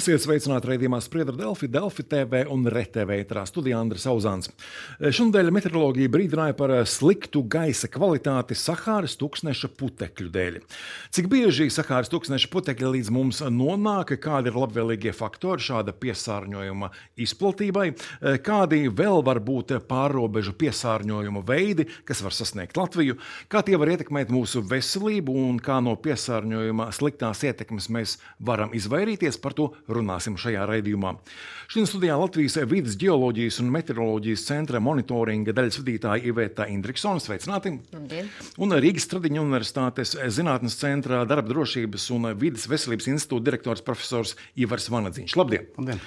Esiet sveicināti raidījumā Spriedra Delfi, Delfi TV un RTV ēterā studijā Andris Auzāns. Šonadēļ meteoroloģija brīdināja par sliktu gaisa kvalitāti Sahāras tūkstneša putekļu dēļ. Cik bieži Sahāras tūkstneša putekļi līdz mums nonāk, kādi ir labvēlīgie faktori šāda piesārņojuma izplatībai, kādi vēl var būt pārrobežu piesārņojuma veidi, kas var sasniegt Latviju, kā tie var ietekmēt mūsu veselību un kā no piesārņojuma sliktās ietekmes mēs varam izvairīties, par to runāsim šajā raidījumā. Šodien studijā Latvijas vides ģeoloģijas un meteoroloģijas centra monitoringa daļas vadītāja Iveta Indriksone. Sveicināti! Labdien. Un Rīgas Stradiņa Universitātes zinātnes centra darba drošības un vides veselības institūta direktors profesors Ivars Vanadziņš. Labdien! Labdien!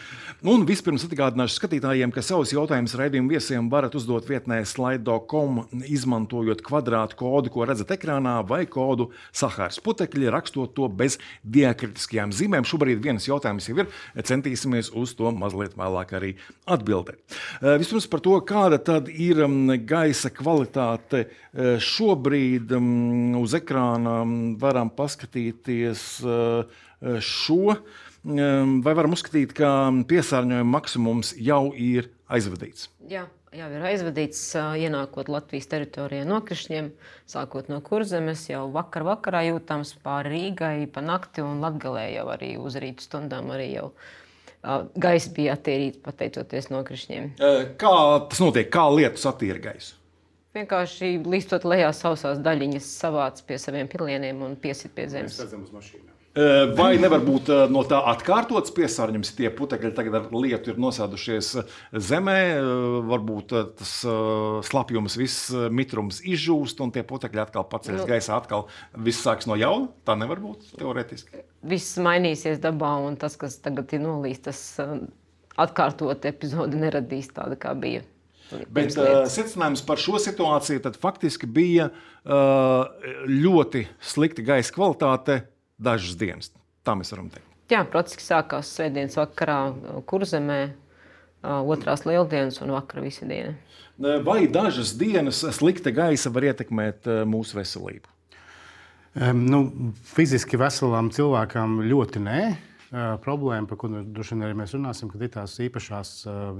Un vispirms atgādināšu skatītājiem, ka savus jautājumus raidījumu viesiem varat uzdot vietnē slido.com, izmantojot kvadrātu kodu, ko redzat ekrānā, vai kodu Sahāras putekļi, rakstot to bez diakritiskajām zīmēm. Šobrīd viens jautājums jau ir, centīsimies uz to mazliet vēlāk arī atbildēt. Vispirms par to, kāda tad ir gaisa kvalitāte šobrīd uz ekrāna. Varam paskatīties šo, vai varam uzskatīt, ka piesārņojuma maksimums jau ir aizvadīts? Jā, jau ir aizvadīts, ienākot Latvijas teritorijā nokrišņiem, sākot no Kurzemes, jau vakarā jūtams pāri Rīgai, pa nakti un Latgalē jau arī uz rītu stundām arī jau gaisa bija attīrīts pateicoties nokrišņiem. Kā tas notiek? Kā lietus attīra gaisu? Vienkārši līstot lejā sausās daļiņas savāc pie saviem pilieniem un piesit pie zemes. Mēs redzam uz mašīnām. Vai nevar būt no tā atkārtots piesārņojums? Tie putekļi tagad ar lietu ir nosēdušies zemē, varbūt tas slapjums, viss mitrums izžūst un tie putekļi atkal paceļas gaisā, atkal viss sāks no jauna? Tā nevar būt teorētiski. Viss mainīsies dabā un tas, kas tagad ir nolīst, tas atkārtot epizodi neradīs tāda, kā bija. Bet secinājums par šo situāciju tad faktiski bija ļoti slikta gaisa kvalitāte dažas dienas. Tā mēs varam teikt. Jā, procesi sākās svētdienas vakarā Kurzemē, otrās lieldienas un vakara visa diena. Vai dažas dienas slikta gaisa var ietekmēt mūsu veselību? Fiziski veselam cilvēkam ļoti nē. Problēma, par ko droši vien arī mēs runāsim, kad ir tās īpašās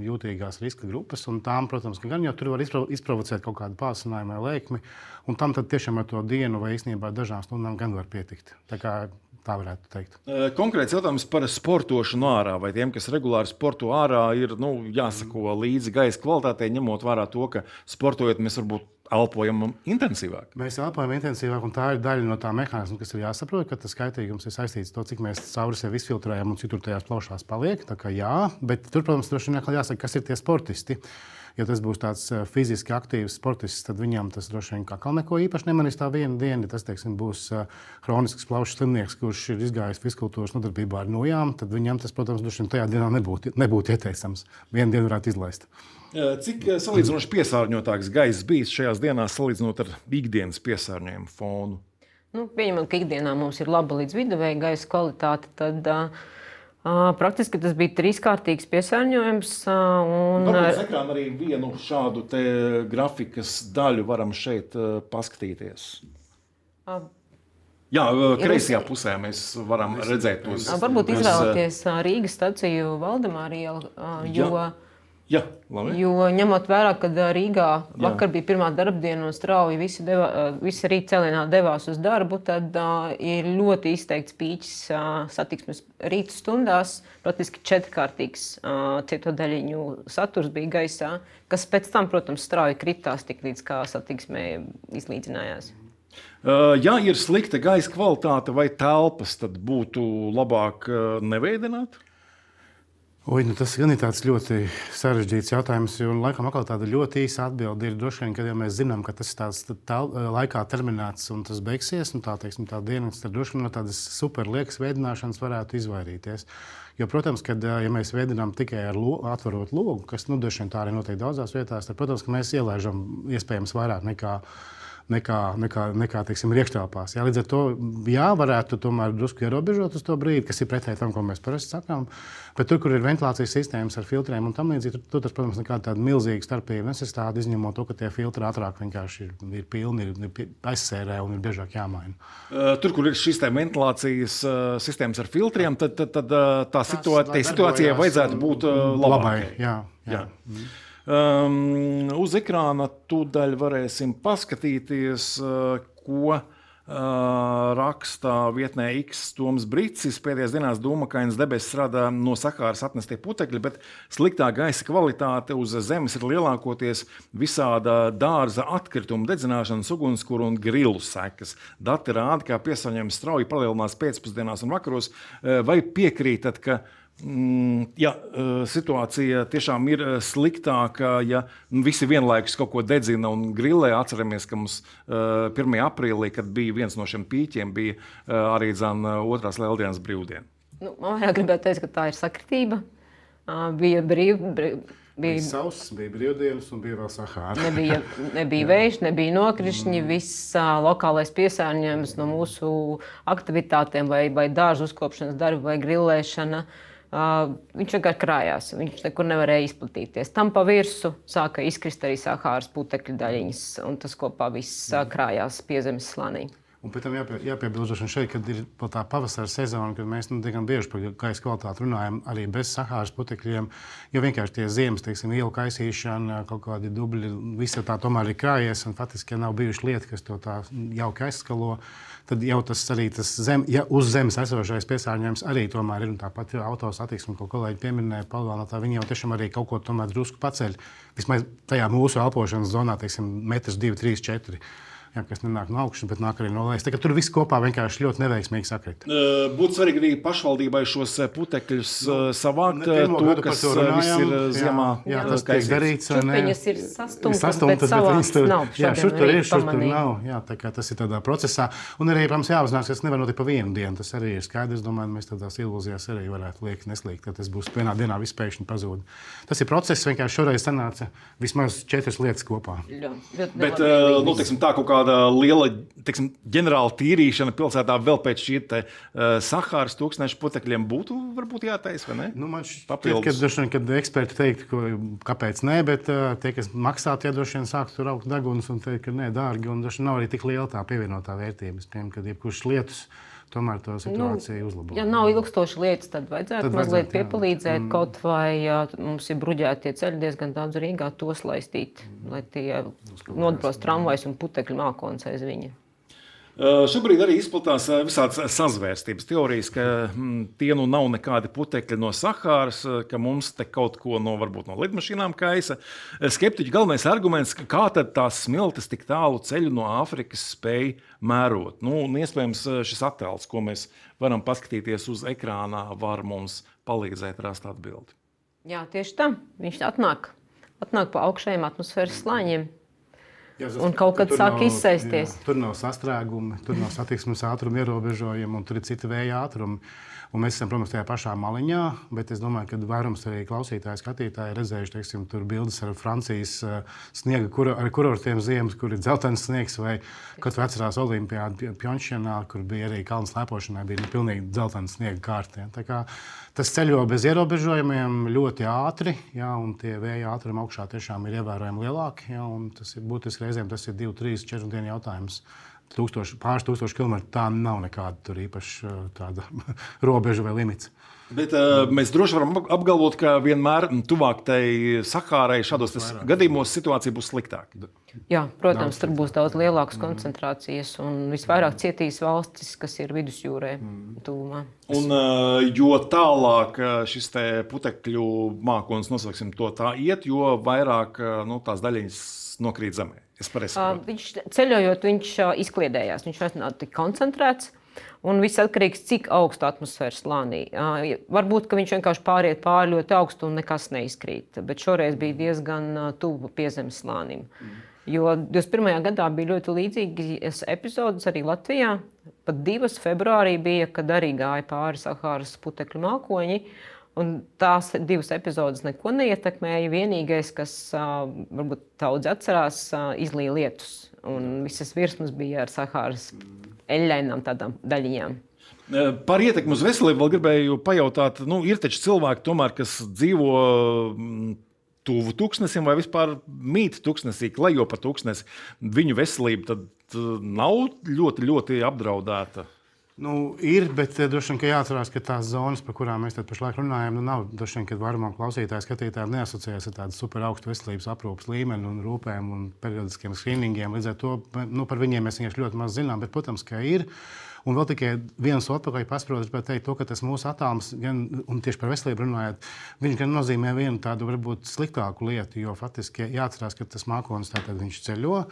jūtīgās riska grupas, un tām, protams, ka gan jau tur var izprovocēt kaut kādu pāsinājumu vai lēkmi, un tam tad tiešām ar to dienu vai īstenībā dažām stundām gan var pietikt. Tā varētu teikt. Konkrēts jautājums par sportošanu ārā, vai tiem, kas regulāri sporto ārā, ir jāsako līdzi gaisa kvalitātei, ņemot vērā to, ka sportojot mēs varbūt elpojam intensīvāk. Mēs elpojam intensīvāk, un tā ir daļa no tā mehānisma, kas ir jāsaprot, ka tas kaitīgums ir saistīts ar to, cik mēs cauri sevi izfiltrējam un citur tajās plaušās paliek. Tā kā jā, bet tur, protams, droši vien jāsaka, kas ir tie sportisti. Ja tas būs tāds fiziski aktīvs sportists, tad viņam tas droši vien kā neko īpaši nemanīs tā viena diena. Tas, teiksim, būs hronisks plaušu slimnieks, kurš ir izgājis fizkultūras nodarbībā ar nojām, tad viņam tas, protams, droši vien tajā dienā nebūtu ieteicams. Vienu dienu varētu izlaist. Cik salīdzinoši piesārņotāks gaiss bijis šajās dienās salīdzinot ar ikdienas piesārņojumu fonu? Pieņemot, ka ikdienā mums ir laba līdz viduvēja gaisa kvalitāte, tad praktiski tas bija trīskārtīgs piesārņojums. Varbūt uz ekrāna arī vienu šādu te grafikas daļu varam šeit paskatīties. Jā, kreisajā pusē mēs varam redzēt tos. Varbūt izvēlēties Rīgas staciju Valdemāra ielu, jo ņemot vērā, ka Rīgā vakar bija pirmā darbdiena un strauji visi rīt cēlienā devās uz darbu, tad ir ļoti izteikts pīķis satiksmes rītu stundās. Praktiski četrkārtīgs cieto daļiņu saturs bija gaisā, kas pēc tam, protams, strauji kritās tik līdz kā satiksmē izlīdzinājās. Ja ir slikta gaisa kvalitāte vai telpas, tad būtu labāk neveidināt? Tas gan ir tāds ļoti sarežģīts jautājums, jo laikam atkal tāda ļoti īsa atbilde ir droši vien, kad jau mēs zinām, ka tas ir tāds laikā terminēts un tas beigsies, un tā dienas, tad droši vien no tādas super liekas veidināšanas varētu izvairīties. Jo, protams, kad ja mēs veidinām tikai ar atverot logu, kas droši vien tā arī notiek daudzās vietās, tad, protams, ka mēs ielaižam iespējams vairāk nekā nekā teiksim, riekštelpās. Jā, līdz ar to varētu tomēr drusku ierobežot uz to brīdi, kas ir pretēji tam, ko mēs parasti sakām. Bet tur, kur ir ventilācijas sistēmas ar filtriem un tam līdzīgi, tur tas, protams, nekāda tāda milzīga starpība nesastāv, izņemot to, ka tie filtri ātrāk vienkārši ir pilni, ir aizsērē un ir biežāk jāmaina. Tur, kur ir šīs ventilācijas sistēmas ar filtriem, tad tā situācijai vajadzētu būt labai. Jā. Uz ekrāna tūdaļ varēsim paskatīties, ko raksta vietnē X Toms Bricis. Pēdējās dienās dūmakains debesis rada no Sahāras atnestie putekļi, bet sliktā gaisa kvalitāte uz zemes ir lielākoties visāda dārza atkrituma dedzināšanas, ugunskura un grilu sekas. Dati rāda, ka piesārņojums strauji palielinās pēcpusdienās un vakaros. Vai piekrītat, ka situācija tiešām ir sliktāka, ja visi vienlaikus kaut ko dedzina un grillē? Atceramies, ka mums 1. aprīlī, kad bija viens no šiem pīķiem, bija arī otrās lieldienas brīvdiena. Man gribētu teikt, ka tā ir sakritība. Bija sauss, bija brīvdienas un bija vēl Sahāra. Nebija vējš, nebija nokrišņi, viss lokālais piesārņojums no mūsu aktivitātēm vai dārzu uzkopšanas darba vai grillēšana. Viņš vienkārši krājās, viņš nekur nevarēja izplatīties. Tam pa virsu sāka izkrist arī Sahāras putekļu daļiņas, un tas kopā viss krājās piezemes slānī. Un pēc tam jāpiebilst šeit, kad ir tā pavasara sezona, kad mēs diezgan bieži par gaisa kvalitāti runājam arī bez Sahāras putekļiem, jo vienkārši tie ziemas, teiksim, ielu kaisīšana, kaut kādi dubļi, visa tā tomēr ir krājies, un faktiski, ja nav bijuši lieta, kas to tā jauki aizskalo, tad jau tas arī uz zemes esošais piesārņojums arī tomēr ir, un tāpat autosatiksme, ko kolēģi pieminēja, Palvānotā, viņi jau tiešām arī kaut ko tomēr drusku paceļ, vismaz tajā mūsu elpošanas zonā, teiksim, 1, 2, 3, 4. Kas nenāk no augšas, bet nāk arī no lejas. Tur viss kopā vienkārši ļoti neveiksmīgi sakrita. Būtu svarīgi arī pašvaldībai šos putekļus savākt. Kas viss ir ziemā. Tas tiek darīts. Viņas ir sastumtas, bet savāks nav. Šur tur ir, šur tur nav. Tā kā tas ir tādā procesā. Un arī, protams, jāapzinās, ka tas nevar notikt pa vienu dienu. Tas arī ir skaidrs. Domāju, mēs tādās ilūzijās arī varētu liekt neslīgt, ka tas būs vienā dienā viss pēkšņi pazūd. Tas ir process, vienkārši šoreiz sanāca vismaz 4 lietas kopā. Bet, teiksim, tā kaut kāda liela, teiksim, ģenerāla tīrīšana pilsētā vēl pēc šī Sahāras tūkstneša putekļiem būtu varbūt jātaisa, vai ne? Man šķiet, kad eksperti teiktu, kāpēc nē, bet tie, kas maksā, tie droši vien sāk tur augt deguns un teikt, ka nē, dārgi, un droši nav arī tik liela tā pievienotā vērtības, kad jebkurš lietus tomēr to situāciju uzlabo. Ja nav ilgstoši lietas, tad vajadzētu mazliet piepalīdzēt, kaut vai mums ir bruģēti tie ceļi diezgan daudz Rīgā, tos laistīt, lai tie nodros tramvajs un putekļu mākonis aiz viņa. Šobrīd arī izplatās visādas sazvērstības teorijas, ka tie nav nekādi putekļi no Sahāras, ka mums te kaut ko varbūt no lidmašīnām kaisa. Skeptiķu galvenais arguments, kā tad tās smiltis tik tālu ceļu no Āfrikas spēj mērot. Iespējams, šis attēls, ko mēs varam paskatīties uz ekrānā, var mums palīdzēt rast atbildi. Jā, tieši tā. Viņš atnāk pa augšējiem atmosfēras slāņiem. Un kaut kad sāk izsēsties. Tur nav sastrēgumi, tur nav satiksmes ātruma ierobežojumi, un tur ir citi vēja ātrumi. Un mēs esam, protams, tajā pašā maliņā, bet es domāju, ka vairums arī klausītāji, skatītāji redzējuši, teiksim, tur bildes ar Francijas sniega kurortiem ziemas, kur ir dzeltens sniegs, vai kaut vai atcerās Olimpiādu Pjončjanā, kur bija arī kalnu slēpošanai, bija pilnīgi dzeltens sniega kārti. Tā kā tas ceļo bez ierobežojumiem ļoti ātri, un tie vēja ātrumi augšā tiešām ir ievērojami lielāki, un tas ir būtiski reizēm, tas ir 2, 3, 4 dienu jautājums. Pāris tūkstoši kilometru, tā nav nekāda tur īpaši tāda robeža vai limits. Bet mēs droši varam apgalvot, ka vienmēr tuvāk tai Sahārai šādos gadījumos situācija būs sliktāka. Jā, protams, tur būs daudz lielākas koncentrācijas un visvairāk cietīs valstis, kas ir vidusjūrē tuvumā. Un jo tālāk šis te putekļu mākonis, nosauksim to tā, iet, jo vairāk tās daļiņas nokrīt zemē. Viņš ceļojot, viņš izkliedējās, viņš vairs nav tik koncentrēts. Un viss atkarīgs, cik augstu atmosfēras slānī. Varbūt, ka viņš vienkārši pāriet pāri ļoti augstu un nekas neizkrīt. Bet šoreiz bija diezgan tuvu piezemes slānim. Jo 21. gadā bija ļoti līdzīgas epizodes arī Latvijā. Pat 2. februārī bija, kad arī gāja pāri Sahāras putekļu mākoņi. Un tās 2 epizodes neko neietekmēja. Vienīgais, kas varbūt daudz atcerās, izlīja lietus. Un visas virsmas bija ar Sahāras eļļainām tādām daļiņām. Par ietekmi uz veselību vēl gribēju pajautāt. Ir taču cilvēki, tomēr, kas dzīvo tuvu tūkstnesim vai vispār mīt tūkstnesī, klejo pa tūkstnesi. Viņu veselība tad nav ļoti, ļoti apdraudēta. Ir, bet droši vien, ka jāatcerās, ka tās zonas, par kurām mēs pašlaik runājam, nav droši vien, ka vairumam klausītāji, skatītāji neasociējas ar tādu super augstu veselības aprūpes līmeni un rūpēm un periodiskiem skrīningiem. Līdz ar to par viņiem mēs vienkārši ļoti maz zinām, bet, protams, ka ir. Un vēl tikai viens atpakaļ pasprāst, bet teikt to, ka tas mūsu attālums, un tieši par veselību runājot, viņš gan nozīmē vienu tādu varbūt sliktāku lietu, jo faktiski jāatcerās, ka tas mākonis tātad viņš ceļo,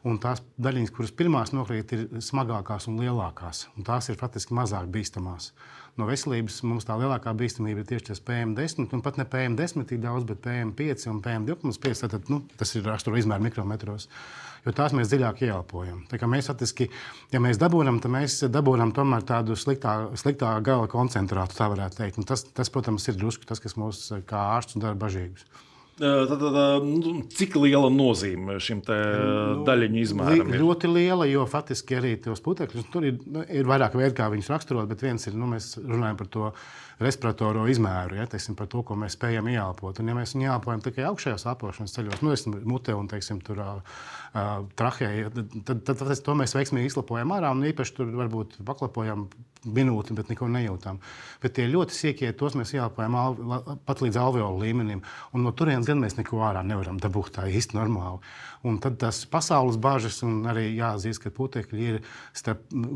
un tās daļiņas, kuras pirmās nokrīt, ir smagākās un lielākās, un tās ir faktiski mazāk bīstamās. No veselības mums tā lielākā bīstamība ir tieši tas PM10, un pat ne PM10 tik daudz, bet PM5 un PM2,5, tātad, tas ir raksturo izmēru mikrometros. Jo tās mēs dziļāk ieelpojam. Tā kā mēs faktiski, ja mēs dabūnam, tad mēs dabūnam tomēr tādu sliktā gala koncentrātu, tā varētu teikt. Un tas, protams, ir drusku tas, kas mūs kā ārstus dara bažīgus. Cik liela nozīme šim daļiņu izmēram ir? Ļoti liela, jo faktiski arī tos putekļus, tur ir vairāk veidi, kā viņus raksturot, bet viens ir, mēs runājam par to respiratoro izmēru, teiksim, par to, ko mēs spējam ieelpot. Un ja mēs viņu ieelpojam tikai augšējos elpošanas ceļos, mutē un, teiksim, tur trahejā, tad to mēs veiksmīgi izlapojam ārā un īpaši tur varbūt paklapojam minūti, bet neko nejūtam. Bet tie ļoti siekie, tos mēs ieelpojam pat līdz alveolu līmenim, un no turienes gan mēs neko ārā nevaram dabūt tā īsti normāli. Un tad tas pasaules bažas, un arī jāatzīst, ka putekļi ir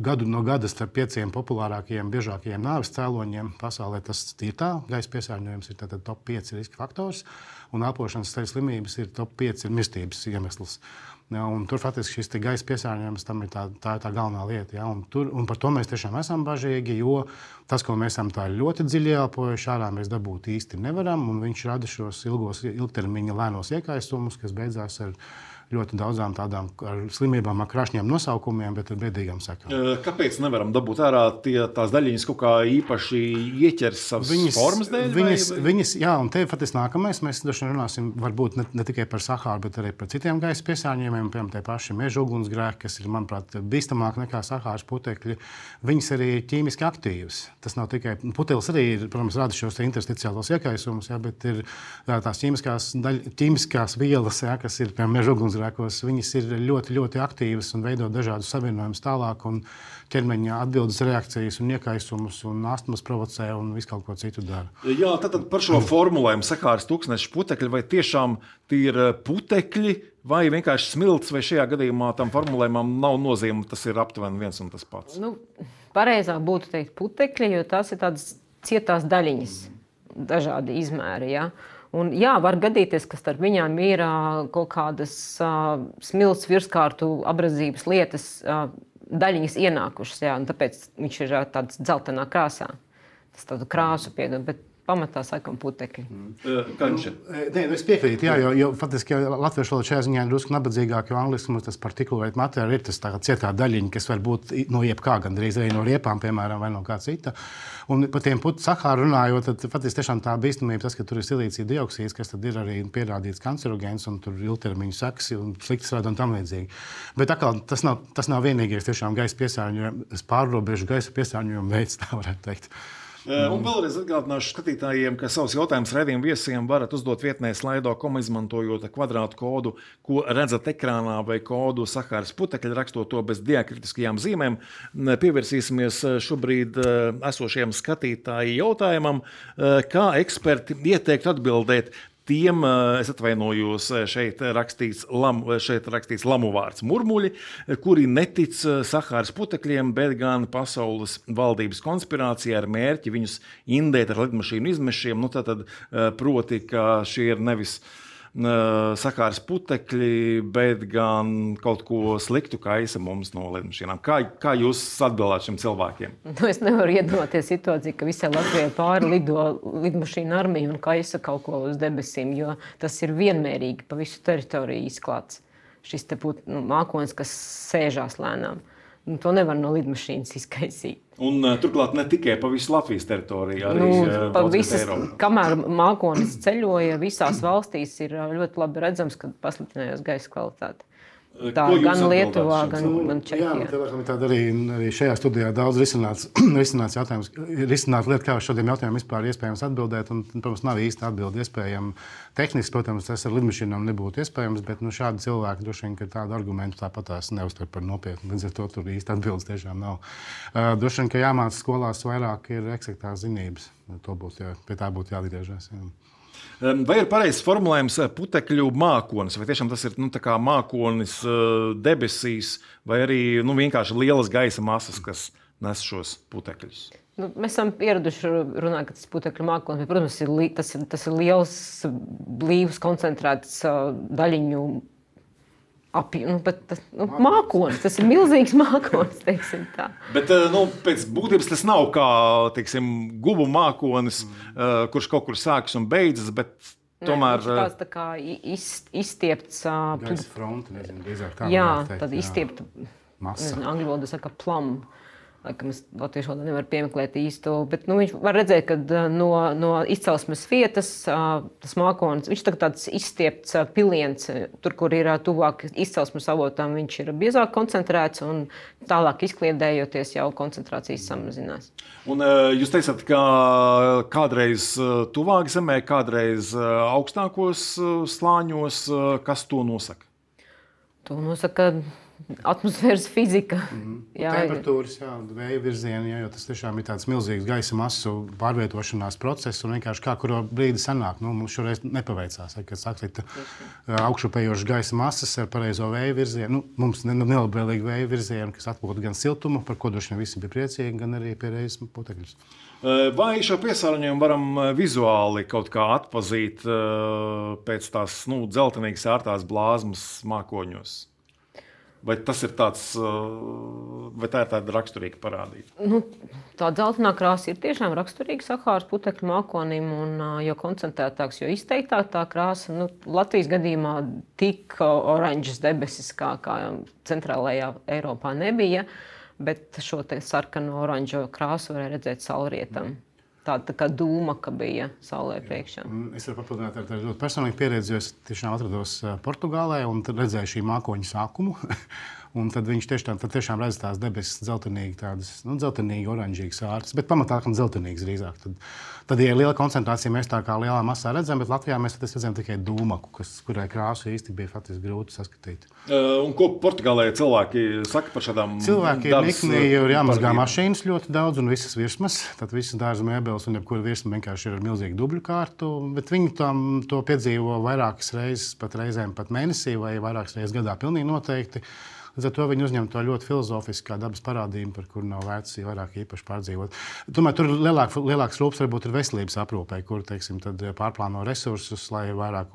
gadu no gada starp 5 populārākajiem, biežākajiem nāves cēloņiem pasaulē. Tas ir tā, gaisa piesārņojums ir tātad top 5 riska faktors, un elpošanas ceļu slimības ir top 5 mirstības iemesls. Un tur faktiski šis gaisa piesārņojums tam ir tā galvenā lieta. Ja? Un par to mēs tiešām esam bažīgi, jo tas, ko mēs esam tā ļoti dziļi ieelpojuši, ārā mēs dabūt īsti nevaram, un viņš rada šos ilgtermiņa lēnos iekaisumus, kas beidzās ar ļoti daudzām tādām slimībām ar krāšņiem nosaukumiem, bet ar bēdīgām sekām. Kāpēc nevaram dabūt ārā tās daļiņas kaut kā īpaši ieķers savas formas dēļ? Viņas, jā, un te faktiski nākamais, mēs runāsim varbūt ne tikai par Sahāru, bet arī par citiem gaisa piesārņojumiem, piemēram, tie paši meža ugunsgrēki, kas ir, manuprāt, bīstamāk nekā Sahāras putekļi. Viņas arī ir ķīmiski aktīvas. Tas nav tikai, putelis arī ir, protams, rada šos intersticiālos iekaisumus, jā, bet ir tās ķīmiskās vielas, jā, kas ir, piemēram, meža ugunsgrēki. Viņas ir ļoti, ļoti aktīvas un veido dažādus savienojumus tālāk, un ķermeņa atbildes reakcijas un iekaisumus un astmas provocē un visu kaut ko citu dara. Jā, tad par šo formulējumu Sahāras tūkstneša putekļi, vai tiešām tie ir putekļi vai vienkārši smilts, vai šajā gadījumā tam formulējumam nav nozīme, tas ir aptuveni viens un tas pats? Pareizāk būtu teikt putekļi, jo tās ir tādas cietās daļiņas, dažādi izmēri, ja? Un, jā, var gadīties, ka starp viņām ir kaut kādas smilts virskārtu abradzības lietas, daļiņas ienākušas, jā, un tāpēc viņš ir tāds dzeltenā krāsā. Tas tādu krāsu piedod, bet pamatā sakam putekļi. Es piekrītu, jā, jo faktiski latviešu valoda šajā ziņā ir drusku nabadzīgāk, jo angliski mums tas particulate matter ir tas cietā daļiņa, kas var būt no jebkā, gandrīz arī no riepām, piemēram, vai no kā cita. Un par tiem Sahāru runājot, tad faktiski tiešām tā bīstamība, tas, ka tur ir silīcija dioksīds, kas tad ir arī pierādīts kancerogēns, un tur ilgtermiņu sekas un sliktas rada un tam līdzīgi. Bet atkal tas nav vienīgais tiešām gaisa piesārņojums, pārrobežu gaisa piesārņojuma veids, tā varētu teikt. Un vēlreiz atgādināšu skatītājiem, ka savus jautājumus raidījuma viesiem varat uzdot vietnē Slido.com, izmantojot kvadrātu kodu, ko redzat ekrānā, vai kodu Sahāras putekļi, rakstot to bez diakritiskajām zīmēm. Pievērsīsimies šobrīd esošajam skatītāju jautājumam, kā eksperti ieteikt atbildēt tiem, es atvainojos, šeit rakstīts lamu vārds murmuļi, kuri netic Sahāras putekļiem, bet gan pasaules valdības konspirācijā ar mērķi viņus indēt ar lidmašīnu izmešiem. Tātad proti, ka šie ir nevis Sahāras putekļi, bet gan kaut ko sliktu kaisa mums no lidmašīnām. Kā jūs atbildāt šiem cilvēkiem? Es nevaru iedomāties situāciju, ka visai Latvijai pāri lido lidmašīnu armija un kaisa kaut ko uz debesīm, jo tas ir vienmērīgi pa visu teritoriju izklāts. Šis te būtu mākonis, kas sēžās lēnām. To nevar no lidmašīnas izkaisīt. Un turklāt ne tikai pa visu Latvijas teritoriju, arī pa visas, kamēr mākonis ceļoja, visās valstīs ir ļoti labi redzams, ka pasliktinājās gaisa kvalitāte. Tā gan Lietuvā, gan Čehijā. Jā, tāda arī šajā studijā daudz risināts jautājums, risināt lietu, kā uz šādiem jautājumiem vispār iespējams atbildēt, un, protams, nav īsti atbildi iespējama. Tehniski, protams, tas ar lidmašīnām nebūtu iespējams, bet šādi cilvēki droši vien, ka tādu argumentu tāpatās neuztver par nopietnu, līdz ar to tur īsti atbildes tiešām nav. Droši vien, ka jāmāca skolās vairāk ir eksaktās zinības, pie tā būtu jāatgriežas. Jā. Vai ir pareizs formulējums putekļu mākonis, vai tiešām tas ir tā kā mākonis debesīs, vai arī vienkārši lielas gaisa masas, kas nes šos putekļus? Mēs esam pieraduši runāt, ka tas ir putekļu mākonis, bet, protams, tas ir liels, blīvs, koncentrēts daļiņu mākonis. Tas ir milzīgs mākonis, teiksim tā. Bet pēc būtības tas nav kā, teiksim, gubu mākonis, kurš kaut kur sākas un beidzas, bet tomēr... Nē, tāds tā kā izstiepts... Gaisa fronte, nezinu, drīzāk tā. Jā, tad izstiepta, angļu valodā saka plum. Laikam es latviešu valodā nevaru piemeklēt īsto, bet viņš var redzēt, ka no izcelsmes vietas tas mākonis, viņš tāds izstiepts piliens, tur, kur ir tuvāk izcelsmes avotam, viņš ir biezāk koncentrēts un tālāk izkliedējoties jau koncentrācijas samazinās. Un jūs teicat, ka kādreiz tuvāk zemē, kādreiz augstākos slāņos, kas to nosaka? To nosaka atmosfēras fizika. Temperatūras, vēja virzieni, jo tas tiešām ir tāds milzīgs gaisa masu pārvietošanās process un vienkārši kā kuro brīdi sanāk. Mums šoreiz nepaveicās, kad sakrita augšupējošas gaisa masas ar pareizo vēja virzienu. Mums nelabvēlīgi vēja virzienu, kas atpūta gan siltumu, par ko droši vien visi bija priecīgi, gan arī pie reizes putekļus. Vai šo piesārņojumu varam vizuāli kaut kā atpazīt pēc tās dzeltenīgas ārtās blāzmas mākoņos? Vai tas ir vai tā ir tāda raksturīga parādība? Tā dzeltenā krāsa ir tiešām raksturīga Sahāras putekļu mākonim, un jo koncentrētāks, jo izteiktāk tā krāsa. Latvijas gadījumā tik oranžas debesis kā centrālajā Eiropā nebija, bet šo sarkano oranžo krāsu varēja redzēt saulrietam. Tāda kā dūma, ka bija saulē priekšā. Es varu papildināt ar ļoti personīgu pieredzi, jo es tiešām atrados Portugālē un redzēju šī mākoņa sākumu. Un tad viņš tiešām redz tās debesis dzeltenīgi, dzeltenīgi, oranžīgas ārtas, bet pamatā dzeltenīgas drīzāk. Tad, ja ir liela koncentrācija, mēs tā kā lielā masā redzam, bet Latvijā mēs redzam tikai dūmaku, kurai krāsu īsti bija faktiski grūti saskatīt. Un ko Portugālē cilvēki saka par šādām? Cilvēki ir nikni, jo ir jāmazgā mašīnas ļoti daudz un visas virsmas. Tad visas dārza mēbeles un jebkura virsma vienkārši ir ar milzīgu dubļu kārtu, bet viņi to piedzīvo vairākas reizes, pat reizēm pat mēnesī vai vairākas reizes gadā pilnīgi noteikti. Līdz ar to viņi uzņem to ļoti filozofiski kā dabas parādību, par kuru nav vērts vairāk īpaši pārdzīvot. Tomēr tur lielāks rūpes varbūt ir veselības aprūpē, kur tad pārplāno resursus, lai vairāk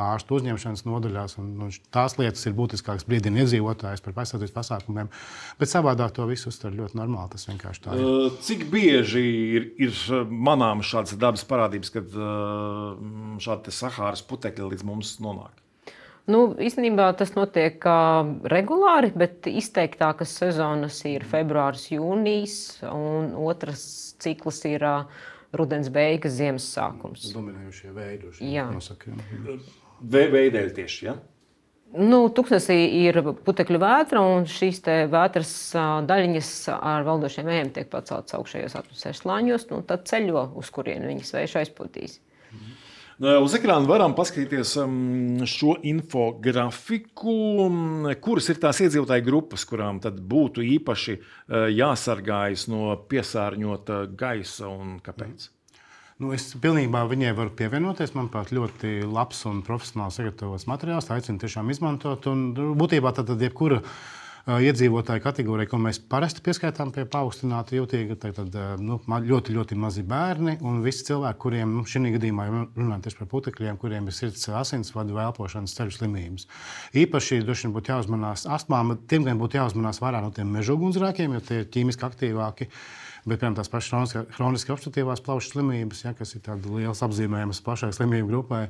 ārstu uzņemšanas nodaļās. Un tās lietas ir būtiskākas brīdina iedzīvotājus par aizsardzības pasākumiem. Bet savādāk to visu uztver ļoti normāli. Tas vienkārši tā ir. Cik bieži ir manāmas šādas dabas parādības, kad šādi Sahāras putekļi līdz mums nonāk? Īstenībā tas notiek regulāri, bet izteiktākas sezonas ir februāris, jūnijas, un otrs cikls ir rudens beigas, ziemas sākums. Dominējušie veidi. Veidēļ tieši, ja? Tuksnesī ir putekļu vētra, un šīs vētras daļiņas ar valdošiem vējiem tiek paceltas augšējos atmosfēras slāņos, tad ceļo, uz kurien viņas vējš aizpūtīs. Uz ekrāna varam paskatīties šo infografiku, kuras ir tās iedzīvotāju grupas, kurām tad būtu īpaši jāsargājas no piesārņota gaisa un kāpēc? Es pilnībā viņai varu pievienoties. Manuprāt, ļoti labs un profesionāli sagatavots materiāls. Tā aicinu tiešām izmantot. Un būtībā tad jebkura iedzīvotāju kategorija, ko mēs parasti pieskaitām pie paaugstināta jūtīga, tad ļoti, ļoti mazi bērni un visi cilvēki, kuriem šī gadījumā runājot tieši par putekļiem, kuriem ir sirds asinsvadu vai elpošanas ceļu slimības. Īpaši droši vien būtu jāuzmanās astmām, tiem gan būtu jāuzmanās vairāk no tiem mežugunsgrēkiem, jo tie ir ķīmiski aktīvāki. Bet, piemēram, tās pašas hroniski obstruktīvās plaušu slimības, ja, kas ir tāda liels apzīmējums plašākai slimību grupai,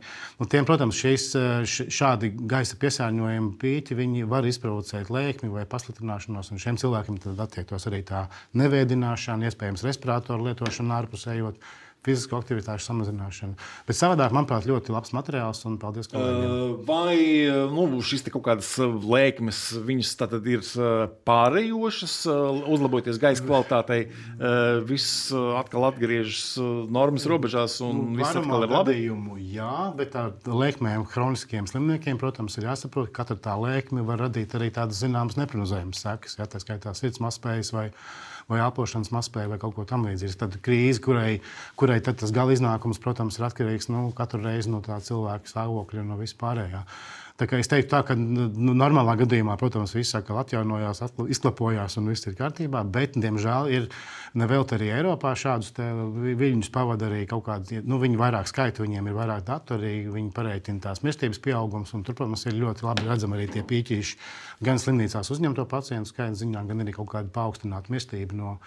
tiem, protams, šādi gaisa piesārņojumi pīķi, viņi var izprovocēt lēkmi vai pasliktināšanos, un šiem cilvēkiem tad attiektos arī tā nevēdināšana, iespējams respiratoru lietošana ārpusējot, fizisko aktivitāšu samazināšana. Bet savādāk, manuprāt, ļoti labs materiāls, un paldies kolēģiem. Vai šis te kaut kādas lēkmes, viņas tātad ir pārējošas, uzlaboties gaisa kvalitātei, viss atkal atgriežas normas robežās, un viss atkal ir labi? Jā, bet ar lēkmēm hroniskiem slimniekiem, protams, ir jāsaprot, ka katra tā lēkme var radīt arī tādas zināmas neprognozējamas sekas, ja, tā skaitā sirds mazspējas vai elpošanas mazspēja vai kaut ko tam līdzīgs. Tad krīze, kurai tad tas gala iznākums, protams, ir atkarīgs katru reizi no tā cilvēka stāvokļa un no vispārējā. Tā kā es teiktu tā, ka normālā gadījumā, protams, viss atkal atjaunojās, izklapojās un viss ir kārtībā, bet, diemžēl, ir nevelti arī Eiropā šādus viļņus pavada arī kaut kādi, viņi vairāk skaita, viņiem ir vairāk datu, arī viņi pareiķina tās mirstības pieaugums, un tur, protams, ir ļoti labi redzami arī tie pīķīši gan slimnīcās uzņemto pacientu skaita ziņā, gan arī kaut kāda paaugstināta mirstība no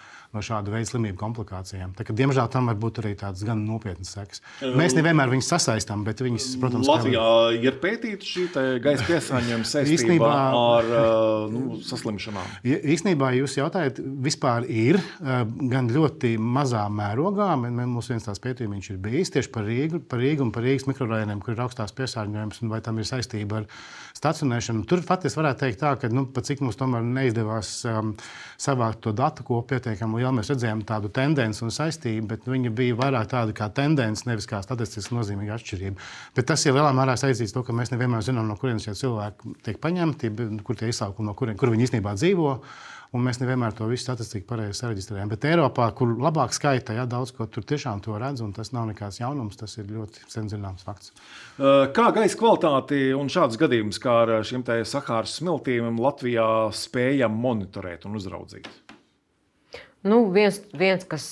šāda veida slimību komplikācijām. Tā kā, diemžēl, tam var būt arī tādas gan nopietnas sekas. Mēs nevienmēr viņus sasaistām, bet vispār, protams, Latvijā ir pētīta šī gaisa piesārņojuma saistībā ar saslimšanām. Īstenībā jūs jautājat, vispār ir gan ļoti mazā mērogā. Mums viens tās pētījums ir bijis tieši par Rīgu un par Rīgas mikrorajoniem, kur ir augstās piesārņojums un vai tam ir saistība ar stacionēšanu. Tur faktiski varētu teikt tā, ka pat cik mums tomēr neizdevās savākt to datu, ko pietiekami lielu mēs redzējām tādu tendenci un saistību, bet viņa bija vairāk tāda kā tendence, nevis kā statistiski nozīmīga atšķirība. Bet tas ir lielā mērā saistīts to, ka mēs nevienmēr zinām, no kurienes šie cilvēki tiek paņemti, kur tie izsaukumi, kur viņi īstenībā dzīvo. Un mēs nevienmēr to visu statistiku pareizi sareģistrējam. Bet Eiropā, kur labāk skaita, daudz ko tur tiešām to redz, un tas nav nekāds jaunums, tas ir ļoti sen zināms fakts. Kā gaisa kvalitāti un šādus gadījumus, kā ar šiem te Sahāras smiltīm, Latvijā spējam monitorēt un uzraudzīt? Viens, kas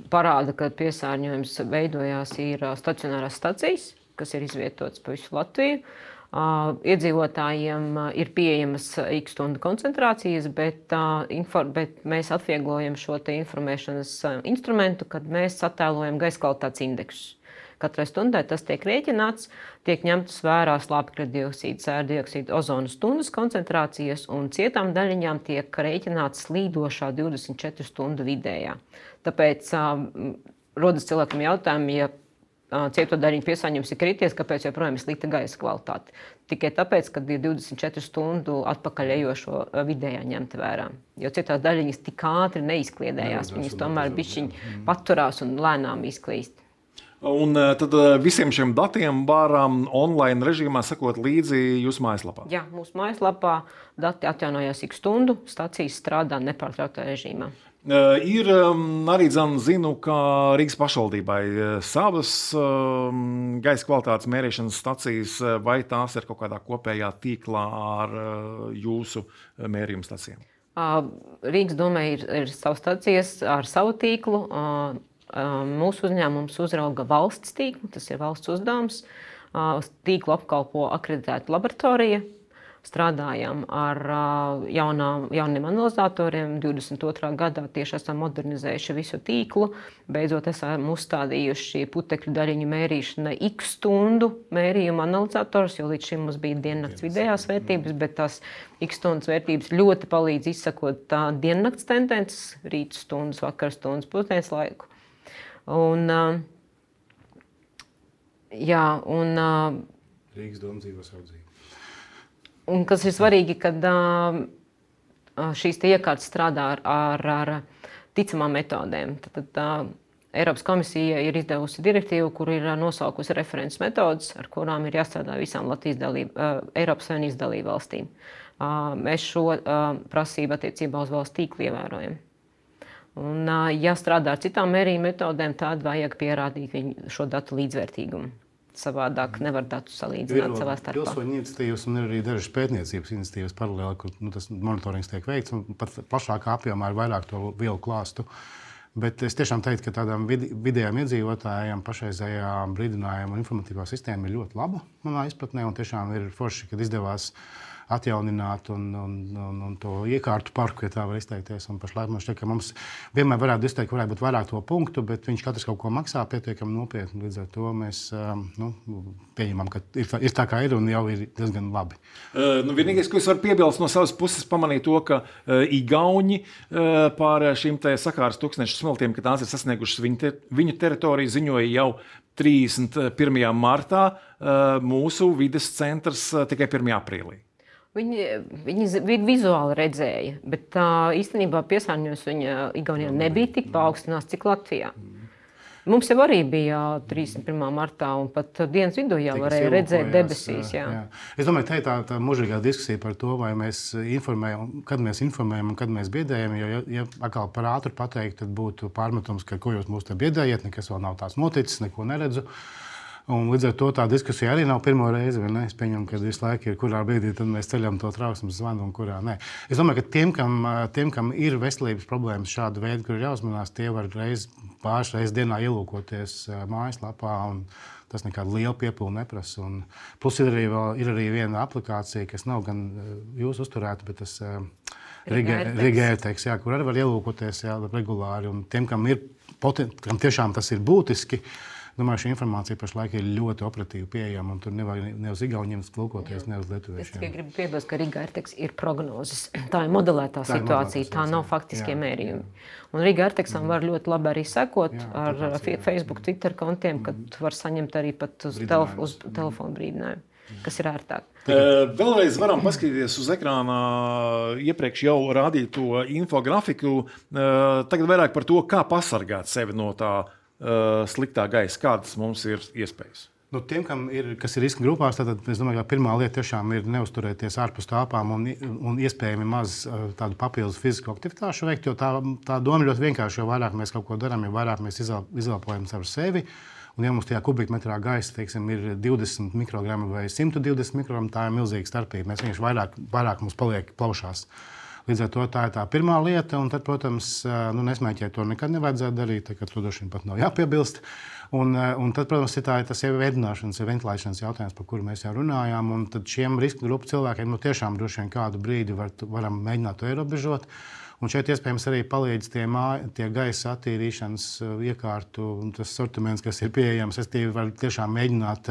parāda, ka piesārņojums veidojās, ir stacionārās stacijas, kas ir izvietotas pa visu Latviju. Iedzīvotājiem ir pieejamas X stundu koncentrācijas, bet mēs atvieglojam šo te informēšanas instrumentu, kad mēs attēlojam gaisa kvalitātes indeksus. Katrai stundai tas tiek rēķināts, tiek ņemtas vērā slāpekļa dioksīda, sērdioksīda, ozona stundas koncentrācijas, un cietām daļiņām tiek rēķināts slīdošā 24 stundu vidējā. Tāpēc rodas cilvēkam jautājumi, ja cieto daļiņu piesārņojums ir krities, kāpēc joprojām ir slikta gaisa kvalitāte. Tikai tāpēc, ka ir 24 stundu atpakaļ ejošo vidējā ņemta vērā. Jo cietās daļiņas tik ātri neizkliedējās, viņas tomēr bišķiņ paturās un lēnām izklīst. Un tad visiem šiem datiem varam online režīmā sekot līdzi jūsu mājaslapā? Jā, mūsu mājaslapā dati atjaunojās X stundu, stacijas strādā nepārtrauktā režīmā. Ir arī zinu, ka Rīgas pašvaldībai savas gaisa kvalitātes mērīšanas stacijas, vai tās ir kaut kādā kopējā tīklā ar jūsu mērījumu stacijām? Rīgas domē ir savas stacijas ar savu tīklu. Mūsu uzņēmums uzrauga valsts tīklu, tas ir valsts uzdevums. Tīklu apkalpo akreditēta laboratorija. Strādājam ar jauniem analizatoriem. 22. gadā tieši esam modernizējuši visu tīklu. Beidzot esam uzstādījuši putekļu daļiņu mērīšanai X stundu mērījumu analizators, jo līdz šim mums bija diennakts vidējās vērtības, bet tās X stundas vērtības ļoti palīdz izsakot diennakts tendences, rīta stundas, vakar stundas, pusdienas laiku. Rīgas doma dzīvo savu dzīvi. Un kas ir svarīgi, kad šīs iekārtas strādā ar ticamām metodēm. Tad Eiropas komisija ir izdevusi direktīvu, kur ir nosaukusi references metodas, ar kurām ir jāstrādā visām Eiropas Savienības dalībvalstīm. Mēs šo prasību attiecībā uz valsts tīklu ievērojam. Un, ja strādā ar citām mērījuma metodēm, tad vajag pierādīt šo datu līdzvērtīgumu. Savādāk nevar datus salīdzināt savā starpā. Pilsoņu iniciatīvas un ir arī dažas pētniecības iniciatīvas paralēli, kur tas monitorings tiek veikts, un pat plašākā apjomā ir vairāk to vielu klāstu. Bet es tiešām teiktu, ka tādām vidējām iedzīvotājiem pašreizējā brīdinājuma un informatīvā sistēma ir ļoti laba manā izpratnē, un tiešām ir forši, kad izdevās atjaunināt un to iekārtu parku, ja tā var izteikties. Un pašlaik man šķiet, ka mums vienmēr varētu izteikt, varētu būt vairāk to punktu, bet viņš katrs kaut ko maksā pietiekami nopietni. Līdz ar to mēs pieņemam, ka ir tā kā ir un jau ir diezgan labi. Vienīgais, ko es varu piebilst no savas puses, pamanīju to, ka Igauņi par šīm sakāras tūkstnešu smeltiem, ka tās ir sasniegušas viņu teritoriju, ziņoja jau 31. martā, mūsu vides centrs tikai 1. aprīlī. Viņi vizuāli redzēja, bet īstenībā piesārņojums viņa Igaunijā nebija tik paaugstināts, cik Latvijā. Mums jau arī bija 31. martā, un pat dienas vidū jau varēja redzēt debesīs. Jā. Es domāju, tā ir tā mūžīgā diskusija par to, vai mēs informējam, kad mēs informējam un kad mēs biedējam. Jo, ja atkal par ātru pateikt, tad būtu pārmetums, ka ko jūs mūs te biedējat, nekas vēl nav tās noticis, neko neredzu. Un līdz ar to tā diskusija arī nav pirmo reizi. Es pieņemu, ka visu laiku ir, kurā brīdī tad mēs ceļam to trauksmes zvanu un kurā nē. Es domāju, ka tiem, kam ir veselības problēmas šāda veida, kur ir jāuzmanās, tie var pāris reizes dienā ielūkoties mājaslapā. Tas nekādu lielu piepildu neprasa. Plus ir arī viena aplikācija, kas nav gan jūs uzturēta, bet tas Riga AirTags, kur arī var ielūkoties regulāri. Un tiem, kam tiešām tas ir būtiski, domāju, šī informācija pašlaik ir ļoti operatīvi pieejama, un tur nevar ne uz Igauniem lūkoties, ne uz lietuviešiem. Es tikai gribu piebilst, ka Riga AirTags ir prognozes. Tā ir modelētā situācija, tā nav faktiskie mērījumi. Un Riga AirTagsam var ļoti labi arī sekot ar Facebook, Twitter kontiem, kad var saņemt arī pat uz telefonu brīdinājumu, kas ir ērtāk. Vēlreiz varam paskatīties uz ekrānā iepriekš jau rādīto infografiku. Tagad vairāk par to, kā pasargāt sevi no tā sliktā gaisa, kādas mums ir iespējas? Tiem, kas ir riska grupās, tad es domāju, ka pirmā lieta tiešām ir neuzturēties ārpus tāpām un iespējami maz tādu papildus fizisku aktivitāšu veikt, jo tā doma ļoti vienkārši, jo vairāk mēs kaut ko darām, jo vairāk mēs izelpojam caur sevi. Un ja mums tajā kubikmetrā gaisa, teiksim, ir 20 mikrogrammi vai 120 mikrogrammi, tā ir milzīga starpība. Mēs vienkārši vairāk mums paliek plaušās. Līdz ar to tā ir tā pirmā lieta, un tad, protams, nesmēķēt to nekad nevajadzētu darīt, ka to droši vien pat nav jāpiebilst. Un tad, protams, ir tas jau ēdināšanas, ventilēšanas jautājums, par kuru mēs jau runājām, un tad šiem riska grupu cilvēkiem tiešām droši vien kādu brīdi varam mēģināt to ierobežot. Un šeit iespējams arī palīdz tie gaisa attīrīšanas iekārtu un tas sortiments, kas ir pieejams. Es var tiešām mēģināt,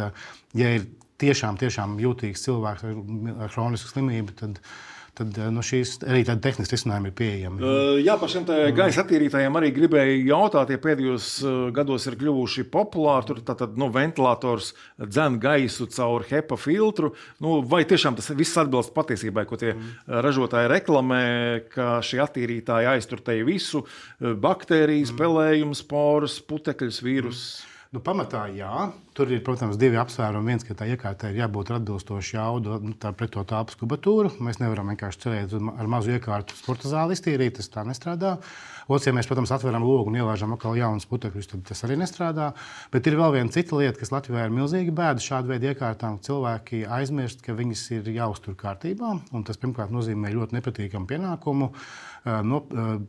ja ir tiešām jūtīgs cilvēks ar hronisku slimību, tad šīs arī tādi tehniski risinājumi ir pieejami. Jā, par šiem gaisa attīrītājiem arī gribēju jautāt, ja pēdējos gados ir kļuvuši populāri, tur tātad ventilators dzen gaisu caur HEPA filtru. Vai tiešām tas viss atbilst patiesībai, ko tie ražotāji reklamē, ka šie attīrītāji aiztur te visu baktērijas, pelējumus, porus, putekļus, vīrusus? Pamatā jā. Tur ir, protams, divi apsvērumi. Viens, ka tā iekārtai ir jābūt atbilstoši jaudu pret to tāpas kubatūru. Mēs nevaram vienkārši cerēt ar mazu iekārtu sporta zāli iztīrīt, tas tā nestrādā. Otrs, ja mēs, protams, atveram logu un ielāžam atkal jaunus putekļus, tad tas arī nestrādā. Bet ir vēl viena cita lieta, kas Latvijā ir milzīga bēda šādu veidu iekārtām. Cilvēki aizmirst, ka viņas ir jāuztur kārtībā. Un tas, pirmkārt, nozīmē ļoti nepatīkamu pienākumu.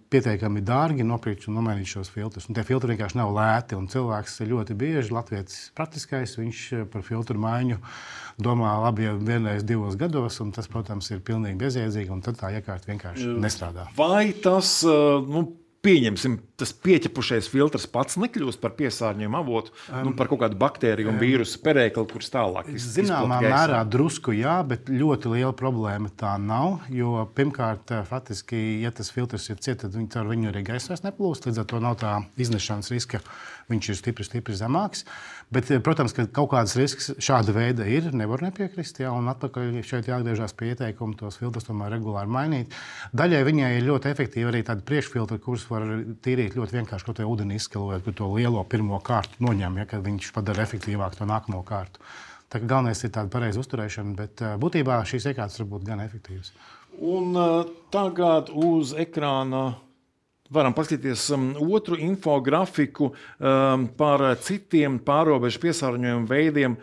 Pietiekami dārgi nopirkt un nomainīt šos filtrus. Un tie filtri vienkārši nav lēti. Un cilvēks ļoti bieži, latvietis praktiskais, viņš par filtru maiņu domā labi jau vienreiz 2 gados. Un tas, protams, ir pilnīgi bezjēdzīgi. Un tad tā iekārta vienkārši nestrādā. Vai tas, pieņemsim, tas pieķepušais filtrs pats nekļūst par piesārņojumu avotu, par kaut kādu baktēriju un vīrusu perēkli, kurš tālāk izplatīt? Zināmā mērā drusku jā, bet ļoti liela problēma tā nav. Jo pirmkārt, faktiski, ja tas filtrs ir ciet, tad caur viņu arī gaisa vairs neplūst. Līdz ar to nav tā iznešanas riska, viņš ir stipri zemāks. Bet, protams, ka kaut kādas risks šāda veida ir, nevar nepiekrist. Jā, un atpakaļ šeit jāatgriežas pie ieteikuma tos filtrus tomēr regulāri mainīt. Daļai viņai ir ļoti efektīvi arī tādi priekšfiltri, kurus var tīrīt ļoti vienkārši, ko te ūdeni izskalojot, kur to lielo pirmo kārtu noņem, kad viņš padara efektīvāk to nākamo kārtu. Tā kā galvenais ir tāda pareiza uzturēšana, bet būtībā šīs iekārtas var būt gan efektīvas. Un tagad uz ekrāna varam paskatīties otru infografiku par citiem pārobežu piesārņojumu veidiem.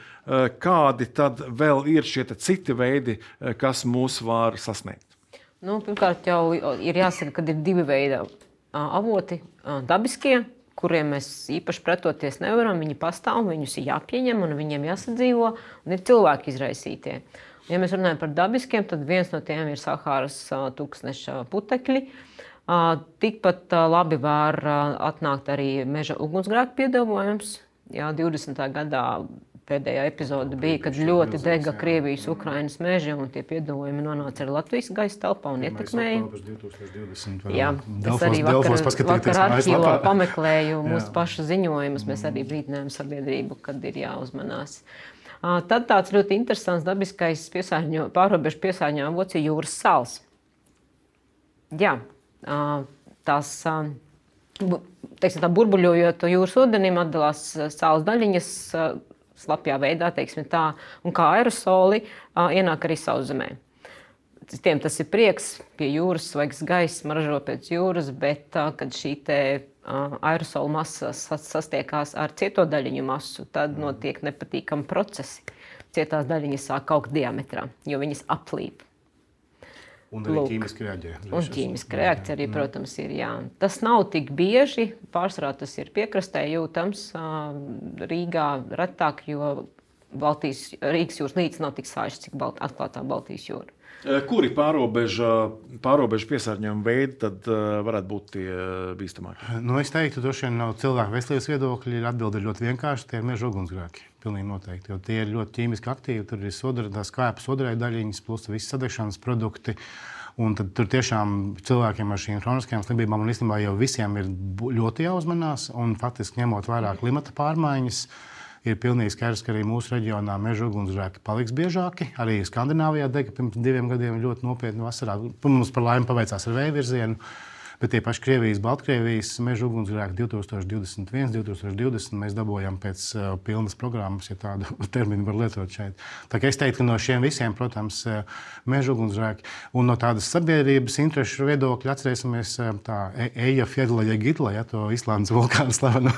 Kādi tad vēl ir šie citi veidi, kas mūs var sasniegt? Pirmkārt, jau ir jāsaka, ka ir divi veidi avoti, dabiskie, kuriem mēs īpaši pretoties nevaram. Viņi pastāv, viņus ir jāpieņem un viņiem jāsadzīvo, un ir cilvēki izraisītie. Ja mēs runājam par dabiskiem, tad viens no tiem ir Sahāras tūkstneša putekļi. Tikpat labi var atnākt arī meža ugunsgrēku piedāvājums. 20. gadā pēdējā epizode bija, kad ļoti dega Krievijas, Ukrainas meži, un tie piedāvājumi nonāca arī Latvijas gaisa telpā un ietekmēja. Jā, es arī vakar arhīvā pameklēju mūsu pašu ziņojumus. Mēs arī brīdinājām sabiedrību, kad ir jāuzmanās. Tad tāds ļoti interesants dabiskais pārrobežu piesārņojuma avots ir jūras sāls. Jā, tās, teiksim, tā burbuļojot jūras ūdenim, atdalās sāls daļiņas slapjā veidā, teiksim tā, un kā aerosoli ienāk arī sauszemē. Tiem tas ir prieks, pie jūras svaigs gaiss, ražo pēc jūras, bet kad šī aerosola masa sastiekās ar cieto daļiņu masu, tad notiek nepatīkami procesi. Cietās daļiņas sāk augt diametrā, jo viņas aplīp. Un arī ķīmiski reaģē. Un ķīmiski reakcija arī, protams, ir. Jā. Tas nav tik bieži, pārsvarā tas ir piekrastē jūtams, Rīgā retāk, jo Rīgas jūras līcis nav tik sāļš, cik atklātā Baltijas jūra. Kuri pārrobežu piesārņojuma veidi tad varētu būt tie bīstamākie? Es teiktu, droši vien no cilvēku veselības viedokļa atbilde ir ļoti vienkārši. Tie ir meža ugunsgrēki. Pilnīgi noteikti. Jo tie ir ļoti ķīmiski aktīvi. Tur ir skāpes odraļu daļiņas, plus visi sadegšanas produkti. Un tad tur tiešām cilvēkiem ar šīm hroniskajām slimībām un īstenībā jau visiem ir ļoti jāuzmanās. Un faktiski ņemot vērā klimata pārmaiņas, ir pilnīgi skaidrs, ka arī mūsu reģionā meža ugunsgrēki paliks biežāki. Arī Skandināvijā dega pirms 2 gadiem ļoti nopietni vasarā. Mums par laimi paveicās ar vēja virzienu. Bet tie paši Krievijas, Baltkrievijas meža ugunsgrēki 2021, 2020 mēs dabūjām pēc pilnas programmas, ja tādu terminu var lietot šeit. Tā kā es teiktu, ka no šiem visiem, protams, meža ugunsgrēki un no tādas sabiedrības interešu viedokļa atcerēsimies tā Eyjafjallajökull, to Islandes vulkānu slavenu,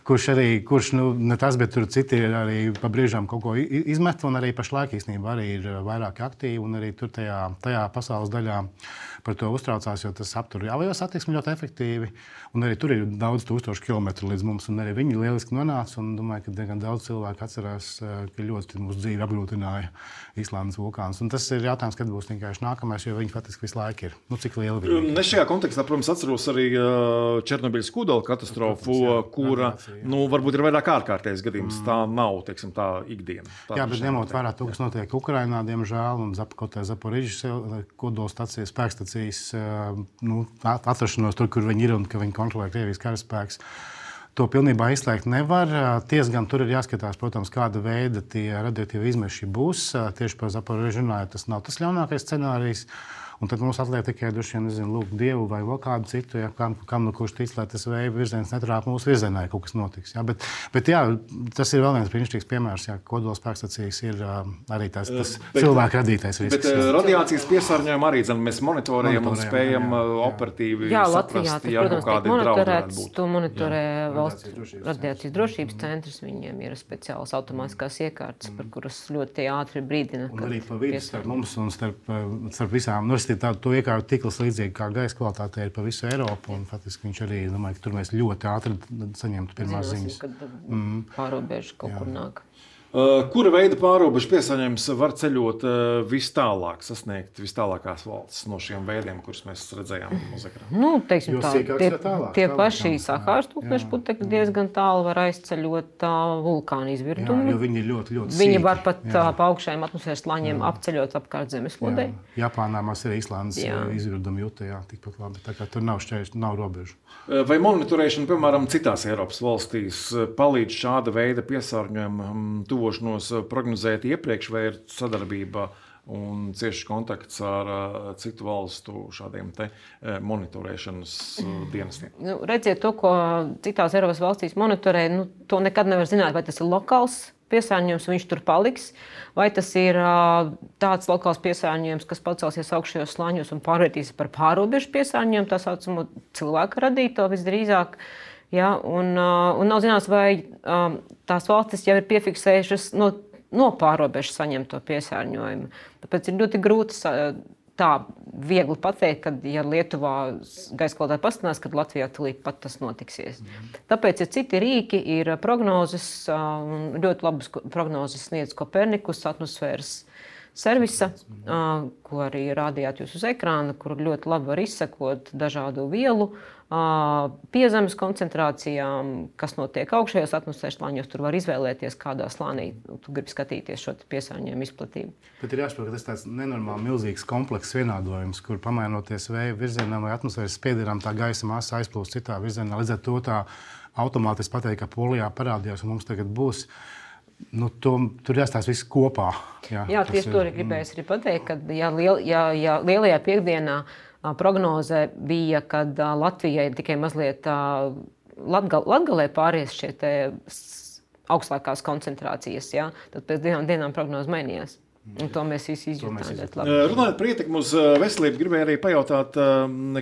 kurš ne tas, bet tur citi arī pa brīžām kaut ko izmet, un arī pašlaik īstenībā arī ir vairāk aktīvi, un arī tur tajā pasaules daļā par to uztraucās, jo tas aptur avio satiksmi ļoti efektīvi, un arī tur ir daudz tūkstošu kilometru līdz mums, un arī viņi lieliski nonāca, un domāju, ka diezgan daudz cilvēku atcerās, ka ļoti mūsu dzīvi apgrūtināja Islandes vulkāns. Un tas ir jautājums, kad būs vienkārši nākamais, jo viņi faktiski visu laiku ir. Cik liela viņi ir? Ne šajā kontekstā, protams, atceros arī Černobiļas kodola katastrofu, kura, varbūt ir vairāk ārkārtējs gadījums. Tā nav, teiksim, tā ikdiena. Jā, bet ņemot vērā to, kas notiek Ukrainā, diemžēl, un Zaporižas kodola stacijas, spēkstacijas, atrašanos tur, kur viņi ir un ka viņi kontrolē Krievijas karaspēks. To pilnībā izslēgt nevar. Gan tur ir jāskatās, protams, kāda veida tie radioaktīvi izmeši būs. Tieši par Zaporižu runājot, tas nav tas ļaunākais scenārijs. Un tad mums atliek tikai lūgt Dievu vai vēl kādu citu, kam kurš tic, lai tas vēja virziens netrāp mūsu virzienā, ja kaut kas notiks. Bet jā, tas ir vēl viens brīnišķīgs piemērs, kodola spēkstacijas ir arī tas cilvēku radītais risks. Bet radiācijas piesārņojumu arī mēs monitorējam un spējam operatīvi saprast, ja kaut kādi draudi varētu būt. To monitorē valsts radiācijas drošības centrs, viņiem ir speciālas automātiskās iekārtas, par kuras ļoti ātri brīdina. Un arī pa vidu starp mums un starp visām. To iekārtu tīkls līdzīgi kā gaisa kvalitātei ir pa visu Eiropu, un faktiski viņš arī, domāju, ka tur mēs ļoti ātri saņemtu pirmās ziņas. Kad pārobežu kaut kur nāk. Kura veida pārobežu piesārņojums var ceļot vis tālāk, sasniegt vis tālākās valstis no šiem veidiem, kurus mēs redzējām uz ekrāna? Teiksim tā, tie paši Sahāras tūkstneša putekļi diezgan tālu var aizceļot vulkānu izvirdumu. Jo viņi ir ļoti sīki. Viņi var pat pa augšējiem atmosfēras slāņiem apceļot apkārt zemeslodei. Japānā mums ir Islandes izvirdumi jūta, tikpat labi. Tā kā tur nav šķēršļu, nav robežu. Vai monitorēšana, piemēram, citās Eiropas valstīs palīdz šāda veida piesārņojumu tuvošanos prognozēt iepriekš, vai ir sadarbība un ciešs kontakts ar citu valstu šādiem monitorēšanas dienestiem? Redziet, to, ko citās Eiropas valstīs monitorē, to nekad nevar zināt, vai tas ir lokāls piesārņojums, viņš tur paliks, vai tas ir tāds lokāls piesārņojums, kas pacelsies augšējos slāņos un pārvērtīsies par pārobežu piesārņojumu, tā saucamo cilvēka radīto visdrīzāk. Ja, un nav zināms, vai tās valstis jau ir piefiksējušas no pārobežas saņemto piesārņojumu. Tāpēc ir ļoti grūti tā viegli pateikt, ka, ja Lietuvā gaisa kvalitāte pastinās, tad Latvijā tūlīt pat tas notiksies. Tāpēc ir citi rīki, ir prognozes, ļoti labas prognozes sniedz Kopernikus atmosfēras servisa, ko arī rādījāt jūs uz ekrāna, kur ļoti labi var izsekot dažādu vielu piezemes koncentrācijām, kas notiek augšējos atmosfēras slāņos. Tur var izvēlēties, kādā slānī tu gribi skatīties šo piesārņojumu izplatību. Bet ir jāsaprot, ka tas tāds nenormāli milzīgs komplekss vienādojums, kur pamainoties vēja virzienam vai atmosfēras spiedienam, tā gaisa masa aizplūst citā virzienā. Līdz ar to tā automātiski pateikt, ka Polijā parādījās un mums tagad būs. Tur jāstāsta viss kopā. Jā, tieši to arī gribēju arī pateikt, ka lielajā piekdienā prognoze bija, kad Latvijai tikai mazliet Latgalē pāries šie augstākās koncentrācijas. Ja? Tad pēc 2 dienām prognoze mainījās. Un to mēs visi izjūtām. Runājot par ietekmi uz veselību, gribēju arī pajautāt,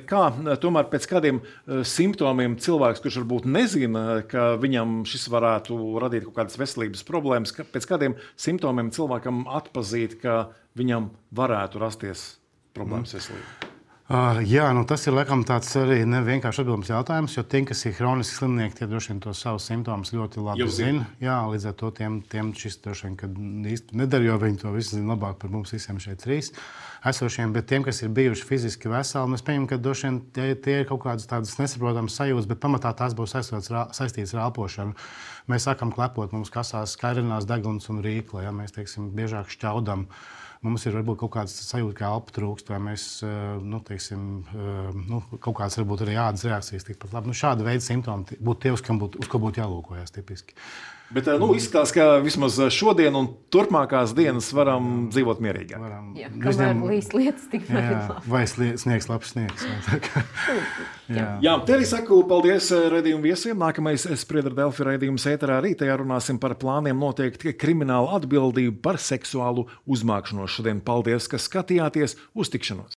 kā tomēr pēc kādiem simptomiem cilvēks, kurš varbūt nezina, ka viņam šis varētu radīt kaut kādas veselības problēmas, pēc kādiem simptomiem cilvēkam atpazīt, ka viņam varētu rasties problēmas veselībā? Jā, tas ir laikam tāds arī nevienkārši atbildams jautājums, jo tiem, kas ir hroniski slimnieki, tie droši vien tos savus simptomus ļoti labi zina. Jā, līdz ar to tiem šis droši vien, kad īsti nedara, jo viņi to visu zina labāk par mums visiem šeit 3 esošiem, bet tiem, kas ir bijuši fiziski veseli, mēs pieņemam, ka droši vien tie ir kaut kādas tādas nesaprotamas sajūtas, bet pamatā tās būs saistītas ar elpošanu. Mēs sākam klepot, mums kasās skairinās deguns un rīkla, ja mēs, teiksim, biežāk šķaudam. Mums ir varbūt kaut kāds sajūta, ka elpa trūkst, vai mēs, kaut kāds varbūt arī ādas reakcijas tikpat labi. Šāda veida simptomi būtu tie, uz ko būtu jālūkojas tipiski. Bet izskatās, ka vismaz šodien un turpmākās dienas varam dzīvot mierīgāk. Kamēr līst lietas tikmēr ir labi. Vai sniegs labs sniegs. Jā, te arī saku paldies raidījumu viesiem. Nākamais Spriedra Delfi raidījums ēterā rītajā runāsim par plāniem noteikt kriminālu atbildību par seksuālu uzmākšanos. Šodien paldies, ka skatījāties. Uz tikšanos!